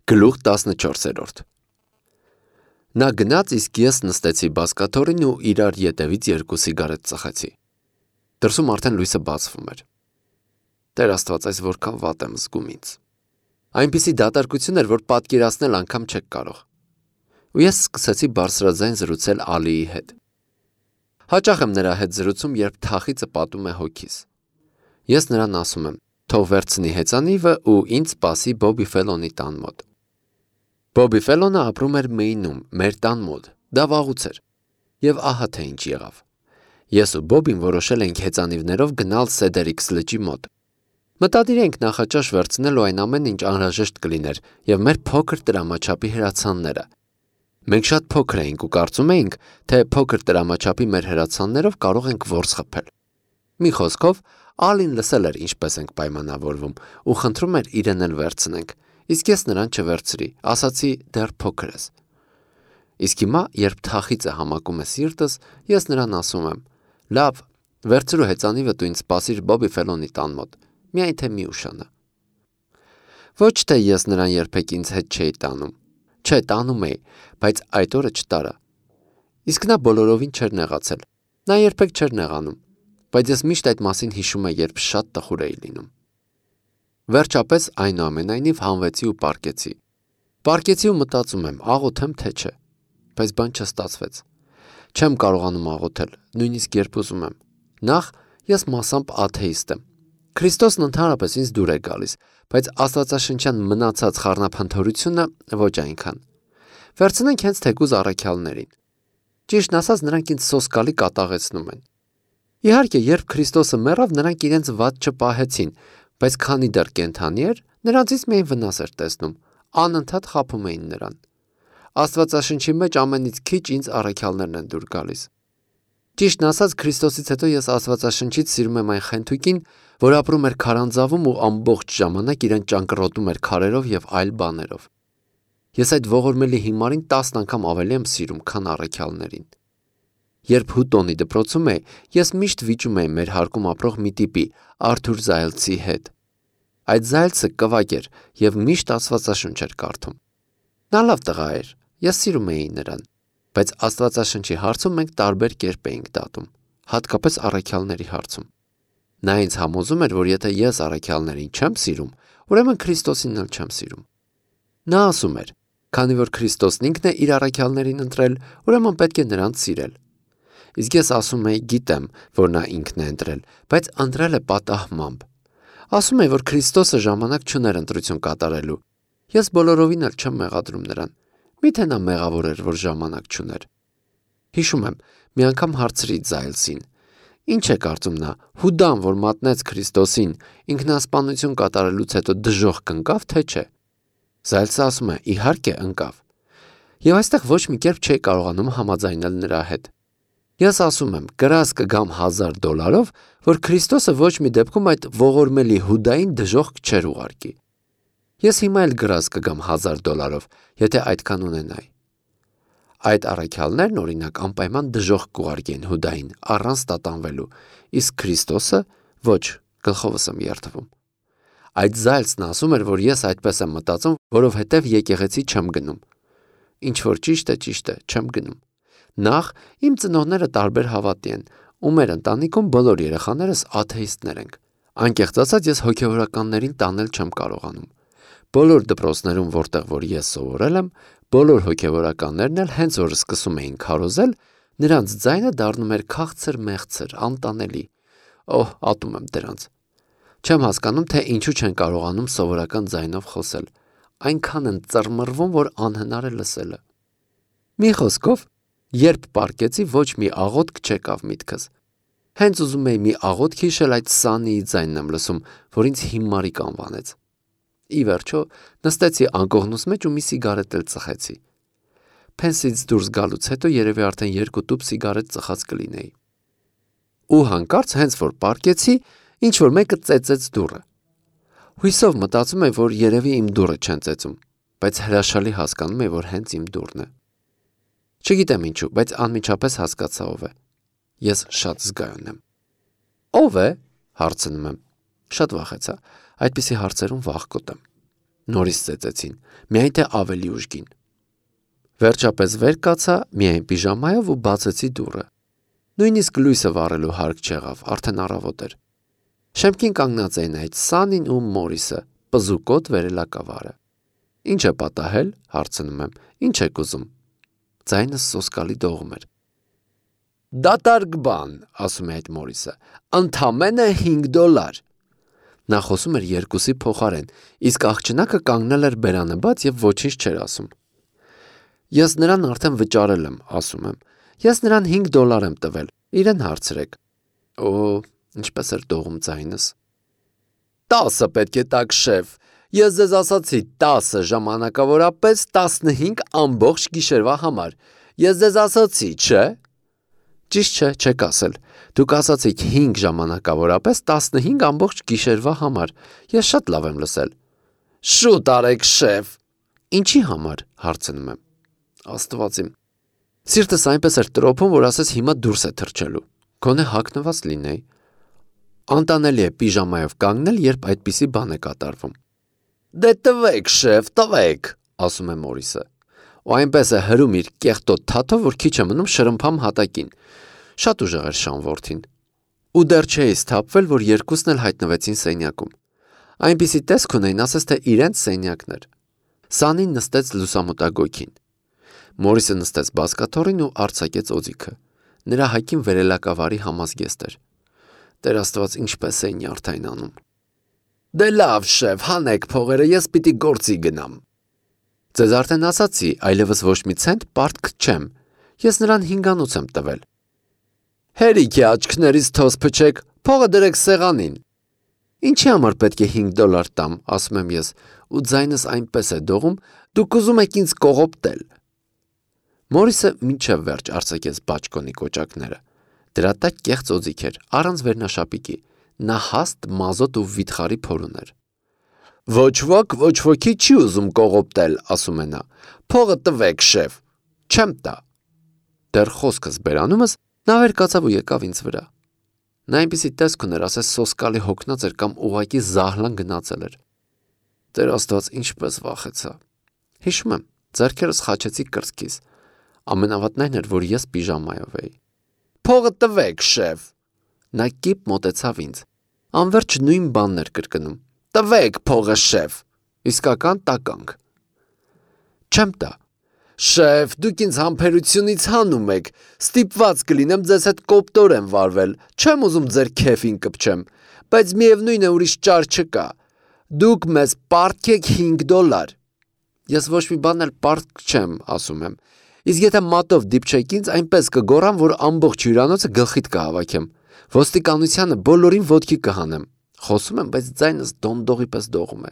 Գլուխ 14 Նա գնաց, իսկ ես նստեցի բազկաթոռին ու իրար ետևից 2 սիգարետ ծխեցի։ Դրսում արդեն լույսը բացվում էր։ Տեր Աստված, այս որքան վատ եմ զգում ինձ։ Այնպիսի դատարկություն էր, որ պատկերացնել անգամ չեք կարող։ Ու ես սկսեցի բարձրաձայն զրուցել Ալիի հետ։ Հաճախ եմ նրա հետ զրուցում, երբ թախիծը պատում է հոգիս։ Ես նրան ասում եմ, թող վերցնի հեծանիվը ու ինձ սպասի Բոբի Ֆելոնի տան մոտ։ Բոբի Ֆելոնը ապրում էր Մեյնում, մեր տան մոտ, դա վաղուց էր։ Եվ ահա թե ինչ եղավ։ Ես ու Բոբին որոշել էինք հեծանիվներով գնալ Սեդերիքս լճի մոտ։ Մտադիր էինք նախաճաշ վերցնել ու այն ամեն ինչ անհրաժեշտ կլիներ եւ մեր փոքր տրամաչափի հրացանները։ Մենք շատ փոքր էինք ու կարծում էինք, թե փոքր տրամաչափի մեր հրացաններով կարող ենք որս խփել։ Մի խոսքով, Ալին լսել էր ինչպես ենք պայմանավորվում ու խնդրում էր իրեն էլ վերցնենք, իսկ ես նրան չվերցրի, ասացի դեռ փոքր ես։ Իսկ հիմա, երբ թախիծը համակում է սիրտս, ես նրան ասում եմ. լավ, վերցրու հեծանիվը դու ինձ սպասիր Բոբի Ֆելոնի տան մոտ, միայն թե մի ուշանա։ Ոչ թե ես նրան երբեք ինձ հետ չէի տանում, չէ, տանում էի, բայց այդ օրը չտարա։ Իսկ նա բոլորովին չէր նեղացել, նա երբեք չէր նեղանում, բայց ես միշտ այդ մասին հիշում եմ, երբ շատ տխուր էի լինում։ Վերջապես այնուամենայնիվ հանվեցի ու պառկեցի։ Պառկեցի ու մտածում եմ, աղոթեմ թե չէ, բայց բան չստացվեց։ Չեմ կարողանում աղոթել, նույնիսկ երբ ուզում եմ։ Նախ ես մասամբ աթեիստ եմ։ Քրիստոսն ընդհանրապես ինձ դուր է գալիս, բայց աստվածաշնչյան մնացած խառնափնթորությունը ոչ այնքան։ Վերցնենք հենց թեկուզ առաքյալներին։ Ճիշտն ասած, նրանք ինձ սոսկալի կատաղեցնում են։ Իհարկե, երբ Քրիստոսը մեռավ, նրանք իրենց վատ չպահեցին, բայց քանի դեռ կենդանի էր, նրանցից միայն վնաս էր տեսնում, անընդհատ խաբում էին նրան։ Աստվածաշնչի մեջ ամենից քիչ ինձ առաքյալներն են դուր գալիս։ Ճիշտն ասած, Քրիստոսից հետո ես Աստվածաշնչից սիրում եմ այն խենթուկին, որ ապրում էր քարանձավում ու ամբողջ ժամանակ իրեն ճանկռոտում էր քարերով եւ այլ բաներով։ Ես այդ ողորմելի հիմարին 10 անգամ ավելի եմ սիրում, քան առաքյալներին։ Երբ Հուտոնի դպրոցում էի, ես միշտ վիճում էի մեր հարկում ապրող մի տիպի, Արթուր Զայլցի հետ։ Այդ Զայլցը կվակ էր եւ միշտ Աստվածաշունչ էր կարդում։ Նա լավ տղա էր, ես սիրում էի նրան, բայց Աստվածաշնչի հարցում մենք տարբեր կերպ էինք դատում, հատկապես առաքյալների հարցում։ Նա ինձ համոզում էր, որ եթե ես առաքյալներին չեմ սիրում, ուրեմն Քրիստոսին էլ չեմ սիրում։ Նա ասում էր, քանի որ Քրիստոսն ինքն է իր առաքյալներին ընտրել, ուրեմն պետք է նրանց սիրել։ Իսկ ես ասում էի, գիտեմ, որ նա ինքն է ընտրել, բայց ընտրել է պատահմամբ։ Ասում էի, որ Քրիստոսը ժամանակ չուներ ընտրություն կատարելու։ Ես բոլորովին էլ չեմ մեղադրում նրան։ Միթե նա մեղավոր էր, որ ժամանակ չուներ։ Հիշում եմ, մի անգամ հարցրի Զայլսին. Ինչ է կարծում նա, Հուդան, որ մատնեց Քրիստոսին, ինքնասպանություն կատարելուց հետո դժոխք ընկավ, թե չէ։ Զայլսը ասում է, իհարկե ընկավ։ Եվ այստեղ ոչ մի կերպ չէի կարողանում համաձայնել նրա հետ։ Ես ասում եմ, կրած կգամ $1000, որ Քրիստոսը ոչ մի դեպքում այդ ողորմելի Հուդային դժոխք չէր ուղարկի։ Ես հիմա էլ գրած կգամ $1000, եթե այդքան ունենայի։ Այդ առաքյալներն օրինակ անպայման դժոխք կուղարկեն Հուդային առանց տատանվելու, իսկ Քրիստոսը ոչ, գլխովս եմ երթվում։ Այդ Զայլսն ասում էր, որ ես այդպես եմ մտածում, որովհետև եկեղեցի չեմ գնում։ Ինչ որ ճիշտ է, չեմ գնում։ Նախ իմ ծնողները տարբեր հավատի են, ու մեր ընտանիքում բոլոր երեխաներս աթեիստներ ենք։ Անկեղծ ասած, ես հոգևորականներին տանել չեմ կարողանում։ Բոլոր դպրոցներում, որտեղ որ ես սովորել եմ, բոլոր հոգևորականներն էլ հենց որ սկսում էին քարոզել, նրանց ձայնը դառնում էր քաղցր մեղցր, անտանելի։ Օհ, ատում եմ դրանց։ Չեմ հասկանում, թե ինչու չեն կարողանում սովորական ձայնով խոսել։ Այնքան են ծռմռվում, որ անհնար է լսելը։ Մի խոսքով, երբ պառկեցի, ոչ մի աղոթք չեկավ միտքս։ Հենց ուզում էի մի աղոթք հիշել, այդ Սանիի ձայնն եմ լսում, որ ինձ հիմարիկ անվանեց։ Ի վերջո, նստեցի անկողնուս մեջ ու մի սիգարետ էլ ծխեցի։ Փենսից դուրս գալուց հետո երևի արդեն 2 տուփ սիգարետ ծխած կլինեի։ Ու հանկարծ հենց որ պառկեցի, ինչ որ մեկը ծեծեց դուռը։ Հույսով մտածում եմ, որ երևի իմ դուռը չեն ծեծում, բայց հրաշալի հասկանում եմ, որ հենց իմ դուռն է։ Չգիտեմ ինչու, բայց անմիջապես հասկացա ով է։ Ես շատ զգայուն եմ։ Ո՞վ է, հարցնում եմ։ Շատ վախեցա, այդպիսի հարցերում վախկոտ եմ։ Նորից ծեծեցին, միայն թե ավելի ուժգին։ Վերջապես վեր կացա միայն պիժամայով ու բացեցի դուռը։ Նույնիսկ լույսը վառելու հարկ չեղավ, արդեն առավոտ էր։ Շեմքին կանգնած էին այդ Սանին ու Մորիսը, պզուկոտ վերելակավարը։ Ինչ է պատահել, հարցնում եմ, ինչ եք ուզում։ Ձայնս սոսկալի դողում էր։ Դատարկ բան, ասում է այդ Մորիսը, ընդամենը $5։ Նա խոսում էր երկուսի փոխարեն, իսկ աղջնակը կանգնել էր բերանը բաց և ոչինչ չէր ասում։ Ես նրան արդեն վճարել եմ, ասում եմ։ Ես նրան $5 եմ տվել, իրեն հարցրեք։ Օ, ինչպես էր դողում ձայնս։ 10 պետք է տաք, շեֆ։ Ես ձեզ ասացի 10 ժամանակավորապես 15 ամբողջ գիշերվա համար։ Ես ձեզ ասացի, չէ։ Ճիշտ չէ, չեք ասել։ Դուք ասացիք 5 ժամանակավորապես 15 ամբողջ գիշերվա համար։ Ես շատ լավ եմ լսել։ Շուտ արեք, շեֆ։ Ինչի համար, հարցնում եմ։ Աստված իմ։ Սիրտս այնպես էր տրոփում, որ ասես հիմա դուրս է թռչելու։ Գոնե հագնված լինեի։ Անտանելի է պիժամայով կանգնել, երբ այդպիսի բան է կատարվում։ Դե տվեք, շեֆ, տվեք, ասում է Մորիսը։ Ու այնպես է հրում իր կեղտոտ թաթով, որ քիչ է մնում շրմփամ հատակին։ Շատ ուժեղ էր Շանվորթին։ Ու դեռ չէի սթափվել, որ երկուսն էլ հայտնվեցին սենյակում։ Այնպիսի տեսք ունեին, ասես թե իրենց սենյակն էր։ Սանին նստեց լուսամուտագույքին։ Մորիսը նստեց բազկաթոռին ու արձակեց օձիքը։ Նրա հագին վերելակավարի համազգեստ էր։ Տեր Աստված, ինչպես էին նյարդայնանում։ Դե լավ, շեֆ, հանեք փողերը, ես պիտի գործի գնամ։ Ձեզ արդեն ասացի, այլևս ոչ մի ցենտ պարտք չեմ։ Ես նրան 5-անոց եմ տվել։ Հերիքի աչքներից թոզ փչեք, փողը դրեք սեղանին։ Ինչի համար պետք է $5 տամ, ասում եմ ես, ու ձայնս այնպես է դողում, դուք ուզում եք ինձ կողոպտել։ Մորիսը մինչև վերջ արձակեց բաճկոնի կոճակները։ Դրա տակ կեղծ օձիք էր, առանց վերնաշապիկի։ Նա հաստ մազոտ ու վիթխարի փոր ուներ։ Ոչ ոք ոչ ոքի չի ուզում կողոպտել, ասում է նա։ Փողը տվեք, շեֆ։ Չեմ տա։ Դեռ խոսքս բերանումս նա վեր կացավ ու եկավ ինձ վրա։ Նա այնպիսի տեսք ուներ, ասես սոսկալի հոգնած էր կամ ուղղակի զահլան գնացել էր։ Տեր Աստված, ինչպես վախեցա։ Հիշում եմ, ձեռքերս խաչեցի կրծքիս։ Ամենավատն այն էր, որ ես պիժամայով էի։ Փողը տվեք, շեֆ։ Նա կիպ մոտեցավ ինձ։ Անverջ նույն բանն էր կրկնում։ Տվեք փողը, շեֆ։ Իսկական տականք։ Չեմ տա։ Շեֆ, դուք ինձ համբերությունից հանում եք։ Ստիպված կլինեմ ձեզ հետ կոպտորեն վարվել։ Չեմ ուզում ձեր քեֆին կպչեմ, բայց միևնույն է ուրիշ ճար չկա։ Դուք մեզ պարտք եք $5։ Ես ոչ մի բան էլ պարտք չեմ, ասում եմ։ Իսկ եթե մատով դիպչեք ինձ, այնպես կգոռամ, որ ամբողջ հյուրանոցը գլխիդ կհավաքեմ։ Ոստիկանությանը բոլորին ոտքի կհանեմ։ Խոսում եմ, բայց ձայնս դոնդողի պես դողում է։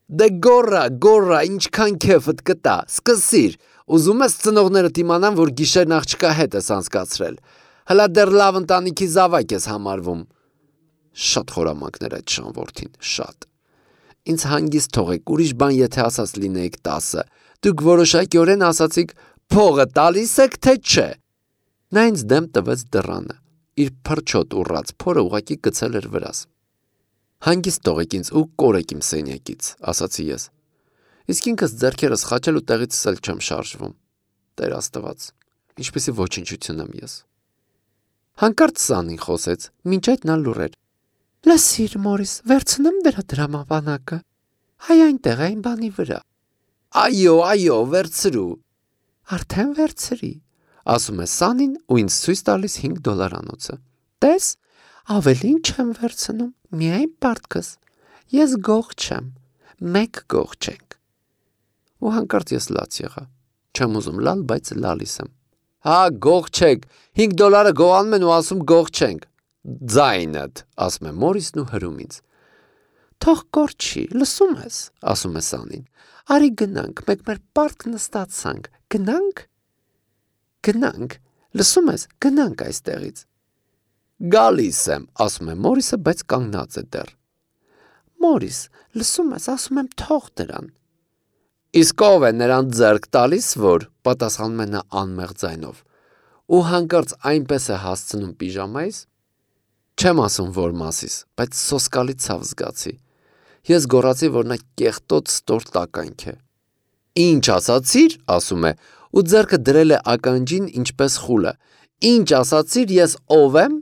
Դե գոռա, ինչքան քեֆդ կտա, սկսիր։ Ուզում ես ծնողներդ իմանան, որ գիշերն աղջկա հետ ես անցկացրել։ Հլա դեռ լավ ընտանիքի զավակ ես համարվում։ Շատ խորամանկներ այդ Շանվորթին, շատ։ Ինձ հանգիստ թողեք, ուրիշ բան եթե ասած լինեիք 10, դուք որոշակիորեն ասացիք փողը տալիս եք, թե չէ։ Նա ինձ դեմ տվեց դռանը, իր փրչոտ ուռած փորը ուղղակի գցել էր վրաս։ Հանգիստ թողեք ինձ ու կորեք իմ սենյակից, ասացի ես։ Իսկ ինքս ձեռքերս խաչել ու տեղից էլ չեմ շարժվում։ Տեր Աստված, ինչպեսի ոչնչություն եմ ես։ Հանկարծ Սանին խոսեց, մինչ այդ նա լուռ էր։ Լսիր, Մորիս, վերցնեմ դրա դրամապանակը։ Հայ այնտեղ այն բանի վրա։ Այո, վերցրու։ Արդեն վերցրի, ասում է Սանին ու ինձ ցույց տալիս $5-անոցը։ Տես, ավելին չեմ վերցնում, միայն պարտքս։ Ես գող չեմ, մեկ գող չենք։ Ու հանկարծ ես լաց եղա։ Չեմ ուզում լալ, բայց լալիս եմ։ Հա, գող չեք, $5 գողանում են ու ասում գող չենք։ Ձայնդ, ասում է Մորիսն ու հրում ինձ։ Թող կորչի, լսում ես, ասում է Սանին։ Արի գնանք, մեկ մեր պարտք նստացանք, գնանք, լսում ես, գնանք այստեղից։ Գալիս եմ, ասում է Մորիսը, բայց կանգնած է դեռ։ Մորիս, լսում ես, ասում եմ թող դրան։ Իսկ ով է նրան ձեռք տալիս, որ, պատասխանում է նա անմեղ ձայնով, ու հանկարծ այնպես է հասցնում պիժամայիս, չեմ ասում որ մասիս, բայց սոսկալի ցավ զգացի։ Ես գոռացի, որ նա կեղտոտ ստոր տականք է։ Ինչ ասացիր, ասում է, ու ձեռքը դրել է ականջին ինչպես խուլը։ Ինչ ասացիր, ես ով եմ։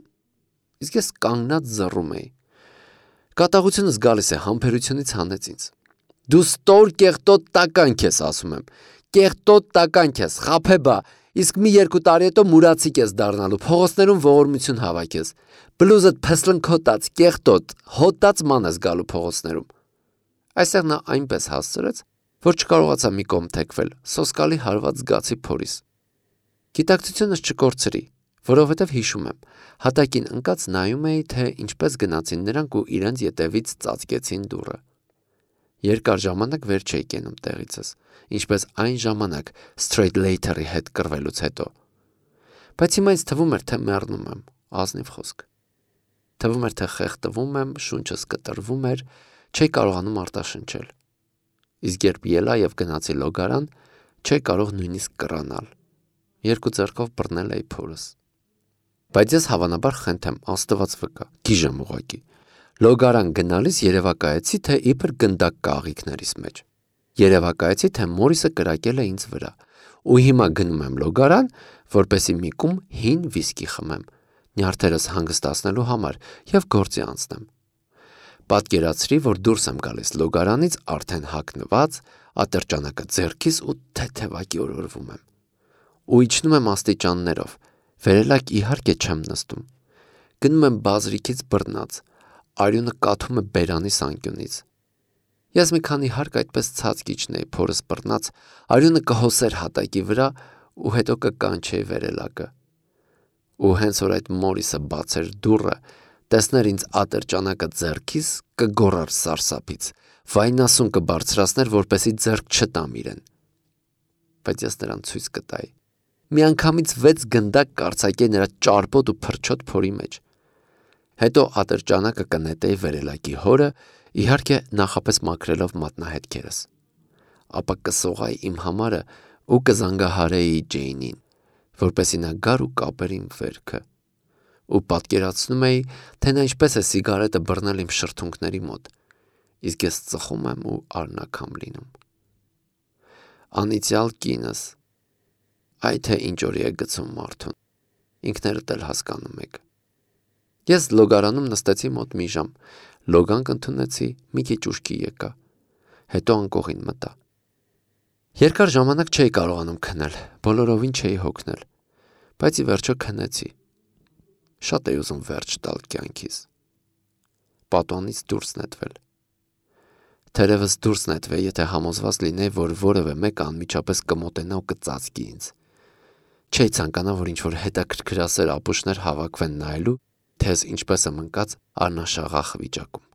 Իսկ ես կանգնած զռում էի։ Կատաղությունս գալիս է, համբերությունից հանեց ինձ։ Դու ստոր կեղտոտ տականք ես, ասում եմ։ Կեղտոտ տականք ես, խաբեբա, իսկ մի 2 տարի հետո մուրացիկ ես դառնալու, փողոցներում ողորմություն հավաքես։ Բլուզդ փսլնքոտած, կեղտոտ, հոտած ման ես գալու փողոցներում։ Այստեղ նա այնպես հասցրեց, որ չկարողացա մի կողմ թեքվել, սոսկալի հարված զգացի փորիս։ Գիտակցությունս չկորցրի, որովհետև հիշում եմ, հատակին ընկած նայում էի, թե ինչպես գնացին նրանք ու իրենց ետևից ծածկեցին դուռը։ Երկար ժամանակ վեր չէի կենում տեղիցս, ինչպես այն ժամանակ Straight Later-ի հետ կռվելուց հետո։ Բայց հիմա ինձ թվում էր, թե մեռնում եմ, ազնիվ խոսք։ Թվում էր, թե խեղդվում եմ, շունչս կտրվում էր, չէի կարողանում արտաշնչել։ Իսկ երբ ելա եւ գնացի լոգարան, չէի կարող նույնիսկ կռանալ։ 2 ձեռքով բռնել էի փորս։ Բայց ես հավանաբար խենթեմ, Աստված վկա, գիժեմ ուղակի։ Լոգարան գնալիս երևակայեցի, թե իբր գնդակ կաղիքներիս մեջ։ Երևակայեցի, թե Մորիսը կրակել է ինձ վրա։ Ու հիմա գնում եմ լոգարան, որպեսի մի կում հին վիսկի խմեմ, նյարդերս հանգստացնելու համար եւ գործի անցնեմ։ Պատկերացրի, որ դուրս եմ գալիս լոգարանից արդեն հագնված, ատրճանակը ձեռքիս ու թեթևակի օրորվում եմ։ Ու իջնում եմ աստիճաններով, վերելակ իհարկե չեմ նստում։ Գնում եմ բազրիկից բռնած, արյունը կաթում է բերանիս անկյունից։ Ես մի քանի հարկ այդպես ցած կիջնեի փորս բռնած, արյունը կհոսեր հատակի վրա ու հետո կկանչեի վերելակը։ Ու հենց որ այդ Մորիսը բացեր դուռը, տեսներ ինձ ատրճանակը ձեռքիս, կգոռար սարսափից, վայնասուն կբարձրացներ, որպեսի ձեռք չտամ իրեն։ Բայց ես նրան ցույց կտայի։ Միանգամից 6 գնդակ կարծակեի նրա ճարպոտ ու փրչոտ փորի մեջ։ Հետո ատրճանակը կնետեի վերելակի հորը, իհարկե նախապես մաքրելով մատնահետքերս։ Ապա կսողայի իմ համարը ու կզանգահարեի Ջեյնին, որպեսի նա գար ու կապեր իմ վերքը։ Ու պատկերացնում էի, թե նա ինչպես է սիգարետը բռնել իմ շրթունքների մոտ, իսկ ես ծխում եմ ու արնակամ լինում։ Անիծյալ կինս, այ թե ինչ օրի է գցում մարդուն, ինքներդ էլ հասկանում եք։ Ես լոգարանում նստեցի մոտ մի ժամ, լոգանք ընդունեցի, մի քիչ ուշքի եկա, հետո անկողին մտա։ Երկար ժամանակ չէի կարողանում քնել, բոլորովին չէի հոգնել, բայց ի վերջո քնեցի։ Շատ էի ուզում վերջ տալ կյանքիս։ Պատոնից դուրս նետվել։ Թերևս դուրս նետվեի, եթե համոզված լինեի, որ որևէ մեկը անմիջապես կմոտենա ու կծածկի ինձ։ Չէի ցանկանա, որ ինչ-որ հետաքրքրասեր ապուշներ հավաքվեն նայելու, թե ես ինչպես եմ ընկած առնաշաղախ վիճակում։